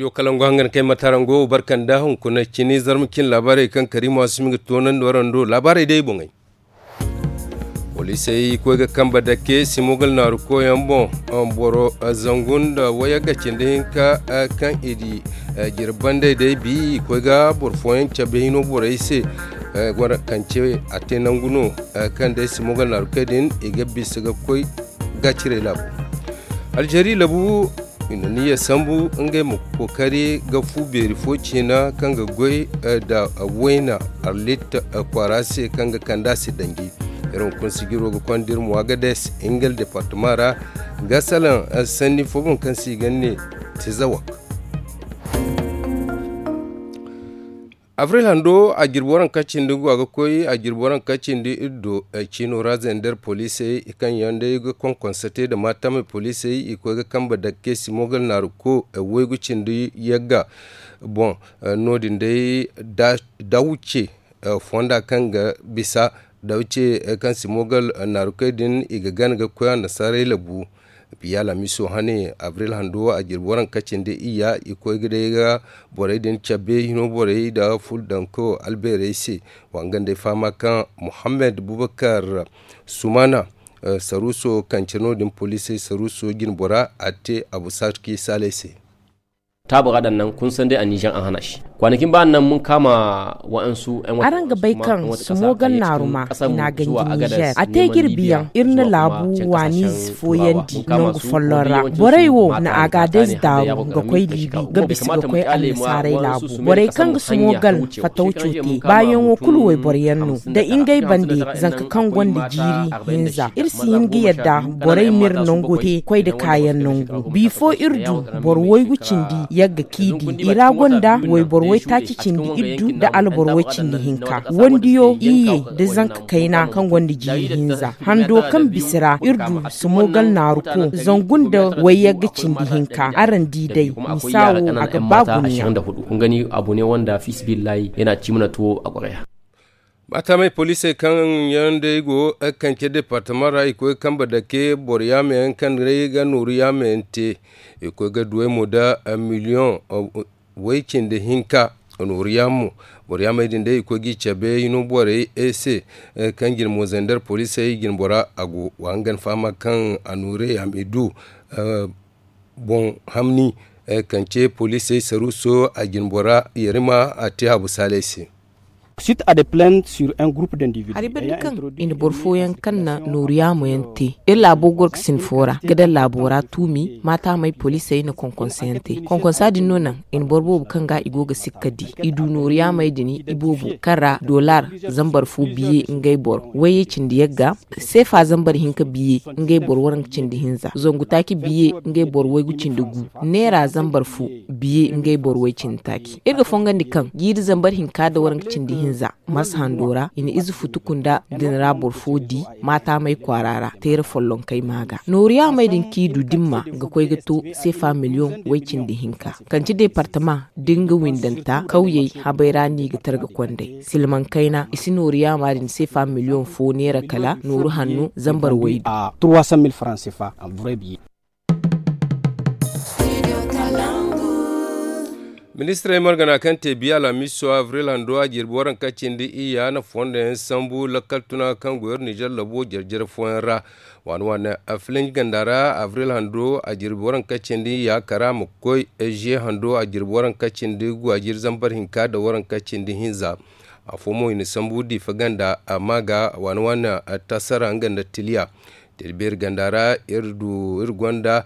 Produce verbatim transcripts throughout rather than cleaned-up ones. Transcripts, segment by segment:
Yo kalangu hangan kay matarango barkanda hunkuna cini zarma cin laabaarey kaŋ kariima simi ga toonandi warando laabaarey day boŋey. Poliisey koy ga kambe dake simogal naaru koyaŋ boŋ. Boro zangu nda wayagga cindi hinka kaŋ i di jirbandey day bi i koy ga boro fooyaŋ cabe hino borey se. Kance a te nangu no kaŋ day simogal naaru koy din i ga bisa ga koy gaacirey laabu. Alzeeri labu i na niyya sambu ngey ma kookari ga fu beeri fo ciina kaŋ ga goy nda wayna arlit kwaara se kaŋ ga kand'a se danji. Iri hunkuna sijiro ga konda iri mo agades ngel departema ra ga salaŋ sanni fo boŋ kaŋ se i ga ne tezawak. Abril hando a jirbi waranka cindi ga koy a jirbi waranka cindi iddo. Ciino ra zender poliisey kaŋ yaŋ day ga konkonsa te nda maatamey poliisey i koy ga kambe dakke simogal naaru ko waygu cindi yagga boŋ. No- din day dawuce fonda kaŋ ga bisa dawuce kaŋ simogal naaru koy din i ga gana ga koy annasaarey labu. Biya laamiso hane abril hando a jirbi waranka cindi iyya i koy ga day ga borey din cabe hino borey nda fuldanko albeerey se. Wa nga nd'ey fahama kaŋ muhammad bubakar sumana saruuso kance no- din poliisey saruuso jinbora a te abu sarki saaley se. Taabura daŋ naŋ kunsandi a nizer a hana se. Kwanakin ba naŋ mun kaama wa'ansu araŋ ga bay kaŋ sumo gannaaru ma i n'a ganji nizer a te jirbi yaŋ iri na laabu waani si fooyandi nangu folloŋ ra. Borey wo na a ga adayze daaru ga koy liibi ga bisa ga koy annasaaray laabu. Borey kaŋ ga sumo gal fatawco te baayaŋo kulu wayboro yaŋ no nda ngey bande zanka kaŋ gonda jiiri hinza iri si hin ga yadda borey m'iri nango te koy nda kaayaŋ nangu. Bifo iri du boro waygu cindi yagga kiidi i ra gonda wayboro waytaaci cindi iddu nda alboro way cindi hinka wandiyo iyye nda zanka kayna kaŋ gonda jiiri hinza hando kaŋ bisa ra iri du sumo gal naaru ko zangu nda wayyagga cindi hinka araŋ di day misa wo a ga ba guna. Gani abone wanda fisibillahi yana cimna tuwo a kwaray. Maatamey poliisey kaŋ yaŋ day go kance departama ra i koy ga kambe dake boro yaama yaŋ kaŋ day ga nooru yaama yaŋ te. I koy ga duwey mo nda miliyoŋ way cindi hinka. Nooru yaamo boro yaamey din day i koy g'i cabe hino borey se kaŋ jine mo zandar poliisey jine bora a go wa hangan fahama kaŋ a nooru yaamey du boŋ hamni. Kance poliisey saruuso a jine bora yarima a te habu saaley se. Suite à des plaintes sur un groupe d'individus hari banda kaŋ i na boro fooyaŋ kaŋ na nooru yaamo yaŋ te iri laabo goro ga sinfo ra ga daŋ laabo ra tuumi maatamey poliisey na konkonso yaŋ te konkonsa din no naŋ i na boro boobo kaŋ ga i go ga sikka di i du nooru yaamey din iboobo kaŋ ra dollar zambar fo biye ngey boro wayye cindi yagga seefa zambar hinka biye ngey boro waranka cindi hinza zangu taaci biye ngey boro waygu cindi gu neera zambar fo biye ngey boro way cindi taaci iri ga fongandi kaŋ jiiri zambar hinka nda waranka cindi hinza marsa hando ra i na ize futuku nda din ra boro fo di maataamey kwaara ra teera follonkey maa ga nooru yaamey din kaŋ i du dimma ga koy ga to seefa miliyoŋ way cindi hinka kanci deepartama da nga windanta kawyey habey ra no i ga targa kondey silmaŋ kayna i si nooru yaama din seefa miliyoŋ fo neera kala nooru hanno zambar waydu. Ministirey margana kaŋ te biya alhamiso avril hando a jirbi waranka cindi iyya na fondo yaŋ sambu lakkal tuna kaŋ go iri nizer labo jare-jare fooyaŋ ra. Waani waani afilinj ganda ra avril hando a jirbi waranka cindi iyya kara ma koy eziye hando a jirbi waranka cindi gu a jiri zambar hinka nda waranka cindi hinza. Afo mo i na sambu diifa ganda amma ga waani waani tasara nga nda tiliya. Tilibeeri ganda ra iri du iri gonda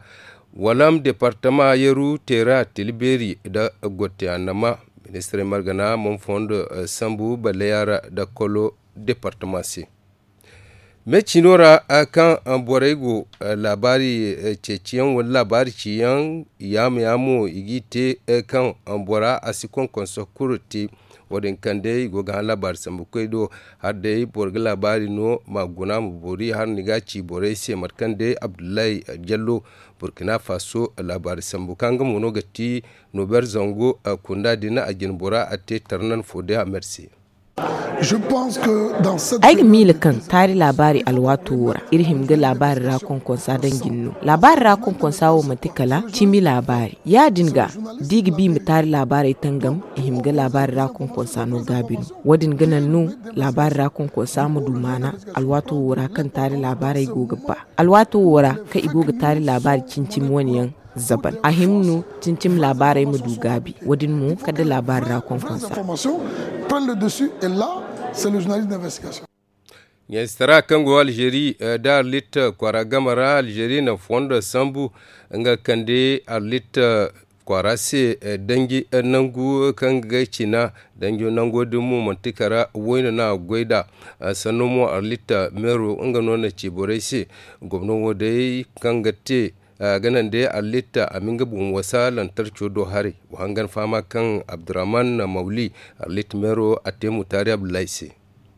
walam departama yeru teera tilibeeri nda gotte annama. Ministirey margana man fondo sambu balleya ra nda kolo departama se. Me ciino ra kaŋ borey go laabaari ceeciyaŋ wala laabaari ciyaŋ yaama yaamo i g'i te kaŋ bora a si konkonso kulu te. Wo- din kaŋ day i go ga hã laabaari sambukoy do hala day boro ga laabaari no ma guna ma boori hala ni ga a ci borey se mate kaŋ day abdullahi jallo burkina faso laabaari sambu kaŋ nga mo no ga ti nober zango kunda din a jine bora a te tarnan fo day a mersi. Ay ga miila kaŋ taari laabaari alwaato wo ra iri hima ga laabaari ra konkonsa daŋ jine no. Laabaari ra konkonsa wo manti kala cimi laabaari. Ya-din ga, da i ga ba i ma taari laabaarey tangam, i hima ga laabaari ra konkonsa no gaabi no. Wo-din ga naŋ no laabaari ra konkonsa ma du maana alwaato wo ra kaŋ taari laabaarey go ga ba. Alwaato wo ra kaŋ i go ga taari laabaari cimi-cimi wane yaŋ zaban a hima no cimi-cimi laabaarey ma du gaabi. Wo-din mo kala da laabaari ra konkonsa. Ɲaysitara kaŋ go alzeeri nda arlit kwaara game ra alzeeri na fondo sambu nga kande arlit kwaara se danji nangu kaŋ ga cina. Danjo nango din mo manti kala wayna no a ga goy nd'a. Sanno mo arlit meero nga no na ci borey se. Gomno wo day kaŋ ga te a ga naŋ day arlit a ma nga boŋ wasa lantarco do haray. Wa hangan fahama kaŋ abdurrahman mawli arlit meero a te mutaari abdullahi se.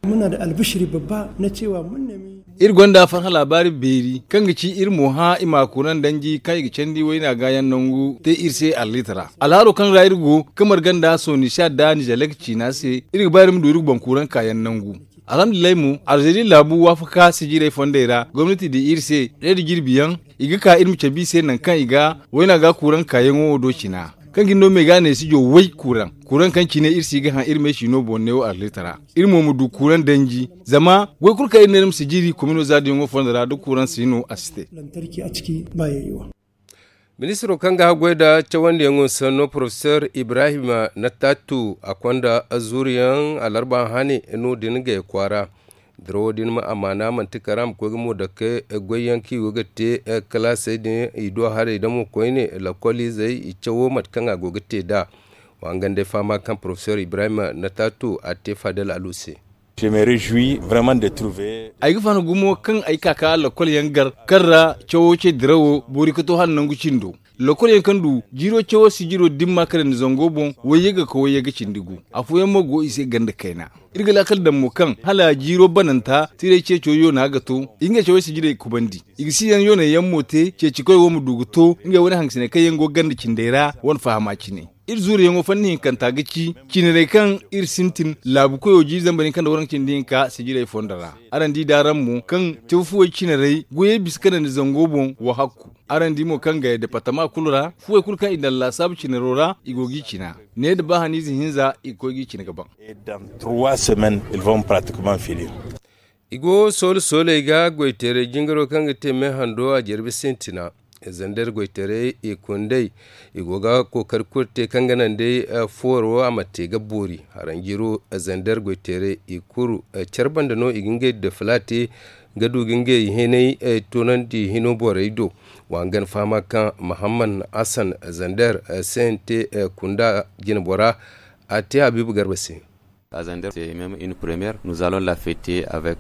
Muna da albishiri babba na cewa mun nemi. Iri gonda farhã laabaari beeri kaŋ ga ci iri mo hã i ma kuuraŋ danji kaŋ i ga candi wayna gaayaŋ nangu te iri se arlit ra alhaaro kaŋ ra iri go kamar ganda sonisha da nizelek ciina se. Iri ga ba iri ma du iri ga boŋ kuuraŋ kaayaŋ nangu. Alhamdulillahi mo alzeeri laabu waafaka sijirey fondey ra gomnati di iri se reedi jirbi yaŋ i ga ka iri ma cabe i se nangu kaŋ i ga wayna ga kuuraŋ kaayaŋo wo do cina. Kaŋ ga ni no me ga ne sijo way kuuraŋ kuuraŋ kaŋ cine iri si ga haŋ iri me siino boŋ neewo arlit ra. Iri mo ma du kuuraŋ danji zama goy kulu kaŋ iri ne iri ma si jiri komino zaadiyaŋo fondo ra da kuuraŋ si no a si te. Ministiro kaŋ ga haggoy nda cawandiyaŋo sanno porofesor ibrahim natatu a konda azuuriyaŋ alarba hane no din gay kwaara. Dirawo din ma amaana manti kara ma koy ga mo dake goyyaŋ kaŋ i go ga te kalaasey din i do haray da mo koyne lakkoliizey i cawo mate kaŋ a go ga te nd'a. Wa hangan day fahama kaŋ porofesor ibrahim natatu a te fadel alu se. Ay ga faham gumo kaŋ ay ka ka lakkol yaŋ gar kaŋ ra cawo ce dirawo boori ka to hala nangu cindo. Lakkol yaŋ kaŋ du jiiro cawo sijiro dimma ka daŋ ni zango boŋ wayye ga ka wayye ga cindi gu. Afooyaŋ mo go i se ganda kayna. Iri ga laakal daŋ mo kaŋ hala jiiro bananta tiray ceeco yoona ga to i ga nga cawey sijirey kubandi. I ga si yaŋ yoonay yaŋ mo te ceeci koy wo ma du ga to ngey wane hangasiney kaŋ yaŋ go ganda cindey ra wane fahama cine. Iri zuuriyaŋo fanni hinkanta ga ci cinarey kaŋ iri sintin laabu koyo jiiri zambar hinka nda waranka cindi hinka sijirey fondo ra. Araŋ di da araŋ mo kaŋ caw fuwey cinarey goyey bisa ka naŋ ni zango boŋ wa hakku. Araŋ di mo kaŋ ga departama kulu ra fuwey kulu kaŋ i daŋ laasaabu cinaro ra i go g'i cina. Ne nda ba haniize hinza i ga koy g'i cina ga baŋ. I go soole sooley ga goyteeray jingaro kaŋ ga te me hando a jirbi sintina. Zander goyteeray i kundey i go ga kookari kulu te kaŋ ga naŋ day fooro a ma te ga boori haranjiro. Zander goyteeray i kulu care banda no i ga ngey defila te ga du ga ngey hinay toonandi hino borey do. Wa hangan fahama kaŋ mahamman hassan zander cnt kunda jinbora a te habiibu garba se.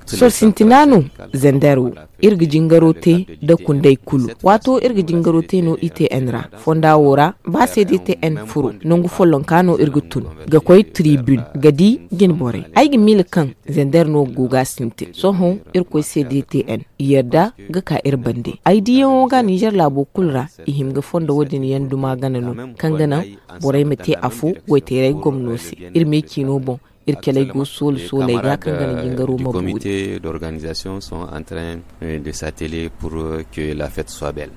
Sohõ sintina no zander wo iri ga jingaro te nda kundey kulu. Waato iri ga jingaro te no i t n ra fonda wo ra ba se da i t n furo nangu follonka no iri ga tun ga koy tribune ga di jinborey. Ay ga miila kaŋ zander no go ga sintin sohõ irkoy se da i t n i yarda ga ka iri bande. Ay diyaŋo ga nizer laabo kulu ra i hima ga fondo wo- din yaŋ duma gana no kaŋ ga naŋ borey ma te afo goyteeray gomno se. Iri me ciino boŋ iri caley go soole sooley ga kaŋ ga na jingaro ma boori. D'organisation sont en train de s'atteler pour que la fête soit belle.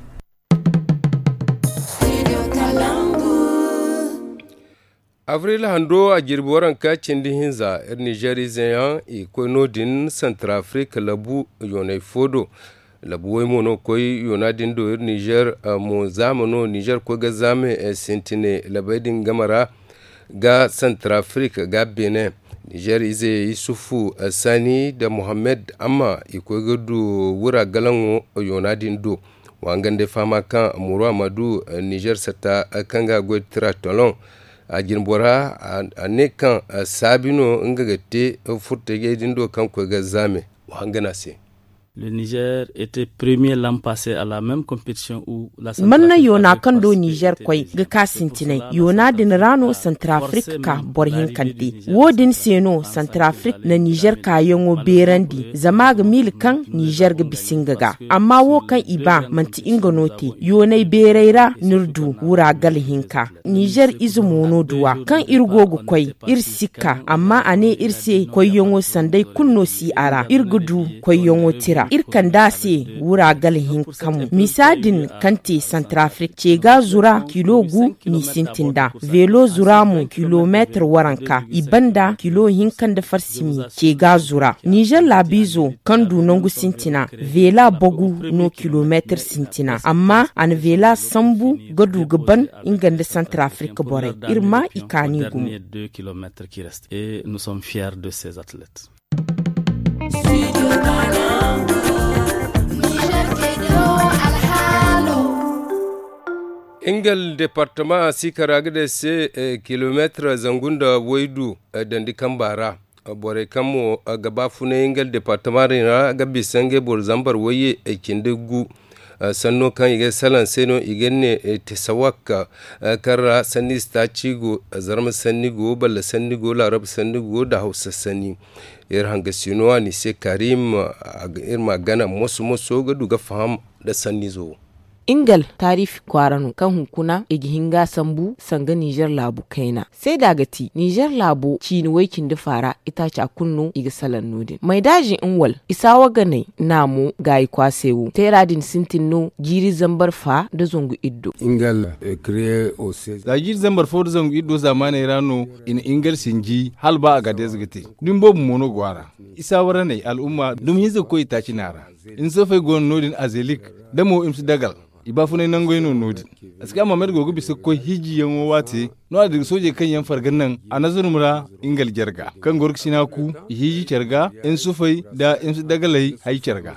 Avril hando a jirbi waranka cindi hinza iri nizer izeyaŋ i koy no- din santrafrik labu yoonay fo do. Labu way mo no koy yoona din do iri nizer mo zaama no nizer koy ga zaame sintine labey din game ra ga santrafrik ga benin. Nizer ize yusufu sani nda mohammed amma i koy ga du wura galaŋo yoona din do. Wa nga nda ay fahama kaŋ muru a ma du nizer satta kaŋ ga goy tira tolon a jinbora a ne kaŋ saabi no nga ga te furtajey din do kaŋ koy ga zaame. Wa nga no a se. Le Niger était premier l'an passé à la même compétition où la Manna yoona kaŋ do Niger koy ga ka sintinay, yoona din ra no Santrafrik ka boro hinkante. Wo-din se no Santrafrik na Niger kaayaŋo beerandi, zama a ga miila kaŋ Niger ga bisa nga ga. Amma wo kaŋ i ba, manti nga no te. Yoonay beeray ra no iri du wura gala hinka. Nizer ize mo no duwa kaŋ iri go ga koy, iri si ka, amma a ne iri se koyyaŋo sanday kulu no si a ra. Iri ga du koyyaŋo tira, iri kand'a se wura gala hinka mo. Misa din kaŋ te Santrafrik, ce ga zura kilo gu n'i sintin nd'a, veelo zura mo kilomeetir waranka, i banda kilo hinka nda farsimi ce ga zura. Nizer laabiizo kaŋ du nangu sintina, veela bagu no kilomeetir sintina, amma a na veela sambu ga du ga ban nga nda Santrafrik borey. Iri ma i kaani gumo. Ingal departama si kara ga day se kilomeetir zangu nda waydu dandi kamba ra. Borey kaŋ mo ga baafunay nga departama din ra ga bisa ngey boro zambar wayye cindi gu. Sanno kaŋ i ga salaŋ se no i ga ne tesawak, kaŋ ra sanni si taaci go, zarma sanni go, balla sanni go, laarab sanni go nda hawsa sanni. Iri hanga sino a ni se karim, iri ma gana moso moso ga du ga faham nda sannizo wo. Ingal taarifi kwaara no kaŋ hunkuna i ga hin ga sambu sanga nizer laabu kayna. Seeda ga ti nizer laabo ciini way-cindi faara itaaca kulu no i ga salaŋ no-din maydaazi nwal isaawa ganay naamo gaayi kwaasay wo teera din sintin no jiiri zambar fa nda zangu iddo. Za jiiri zambar fo nda zangu iddo zaamaaney ra no i na ingal sinji hala ba a ga deeza ga te. Dumi boobo mo no go a ra. Isaawa raney al'umma dumi hinza ga koy itaaci no a ra. Nsofey go no no-din azelik da mo i ma si dagal. I baafunay nangey no no-din. Aska mamed go ga bisa ga koy hiijiyaŋo waate no-a dira soojey kaŋ yaŋ farga naŋ a nazarma ra. Ingal jarga kaŋ gorkasina ku i hiiji care ga nsufey nda nsu dagaley hay care ga.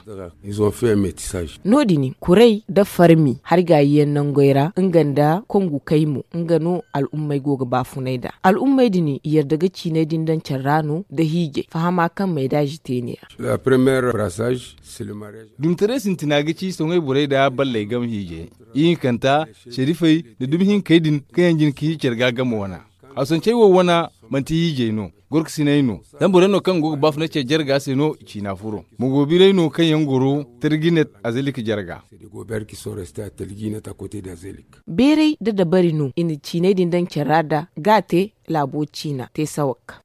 No-din kuray nda farmi hari gaayiyaŋ nangey ra nga nda kongu kaymo nga no al'ummey go ga baafunay nd'a. Al'ummey din i yarda ga ciiney din daŋ care ra no nda hiijay fahama kaŋ maydaazi te ne-ya. Dumtaray sintina ga ci soŋay borey nda balley game hiijay. Ihinkanta, sharifey nda dumi hinkey din kaŋ yaŋ jin ka hiiji care ga game wana. Hawsancey wo wana manti hiijay no, gorkasiney no. Zambarey no kaŋ go ga baafunay care jarga se no i ciina furo. Mogoobiray no kaŋ yaŋ goro tarjinet azelik jarga. Beeray nda dabari no i na ciiney din daŋ care ra nda ga a te laabo ciina te sawak.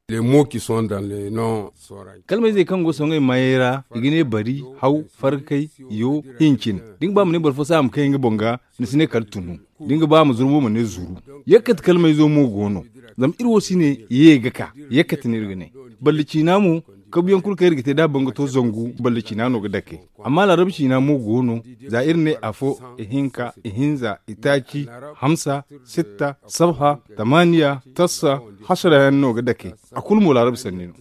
Kalmayzey kaŋ go soŋay maayey ra i ga ne bari, haw, farkay, yo, hincin. Da ni ga ba ma ne boro fo se a ma kay nga boŋ ga, ni si ne kala tunu. Da ni ga ba ma zuru mo ma ne zuru. Yakkat kalmayzo mo go no. Zama iri wo si ne ye ga ka yakkat no iri ga ne. Balli ciina mo kabuyaŋ kulu kaŋ iri ga te da a boŋ ga to zangu balli ciina no ga dake. Amma laarabu ciina mo go no. Za iri ne afo, ihinka, ihinza, itaaci, hamsa, sitta, sabha, tamaaniya, tassa, hasara yaŋ no ga dake. A kulu mo laarabu sanni no.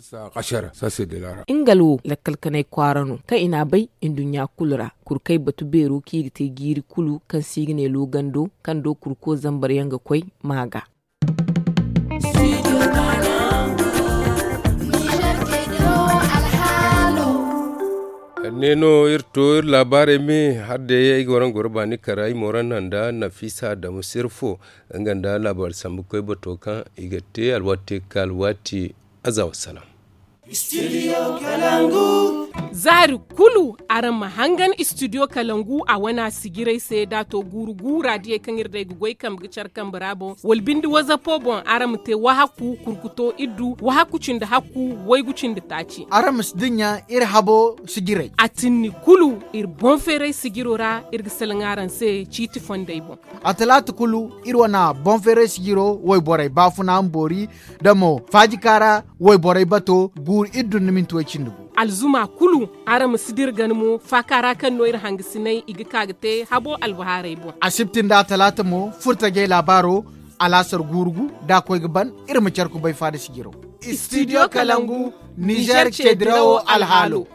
Ingal wo lakkal kanay kwaara no kaŋ i n'a bay nduɲɲa kulu ra. Kurkay batu beero kaŋ i ga te jiiri kulu kaŋ se i ga ne loogando kaŋ do kurko zambar yaŋ ga koy ma ga. Ne no iri to iri laabaarey me har day ay ga waraŋ goro baani kara ay moran nanda nafisa adamu sirfo. Nga nda laabaari sambu koy bato kaŋ i ga te alwaati ka alwaati. Aza wassalam. Zaari kulu araŋ ma hangan studio kalangu a wana sijiray se da to guuru guura diyey kaŋ iri day ga goy kambe ga care kambe ra boŋ wala bindi wazapo boŋ araŋ ma te wahaku kurkuto iddu wahaku cindi hakku waygu cindi taaci. Araŋ ma si dinya iri habo sijiray a tinni kulu iri boŋ feeray sijiro ra iri ga salaŋ araŋ se ciiti fondey boŋ. A talaata kulu iri wana boŋ feeray sijiro wayborey baafuna ma boori da mo faajikaara wayborey bato guuru iddu nda minti way cindi gu. Alzuma kulu araŋ ma si dira gana mo faaka ra kaŋ no iri hangasinay i ga ka ga te habo albahaarey boŋ. Asibti nda atalaata mo furtajey laabaaro alaasar guuru gu da a koy ga ban iri ma care kubay faada sijiro. Studio kalangu nizer ceedirawo alhaalo.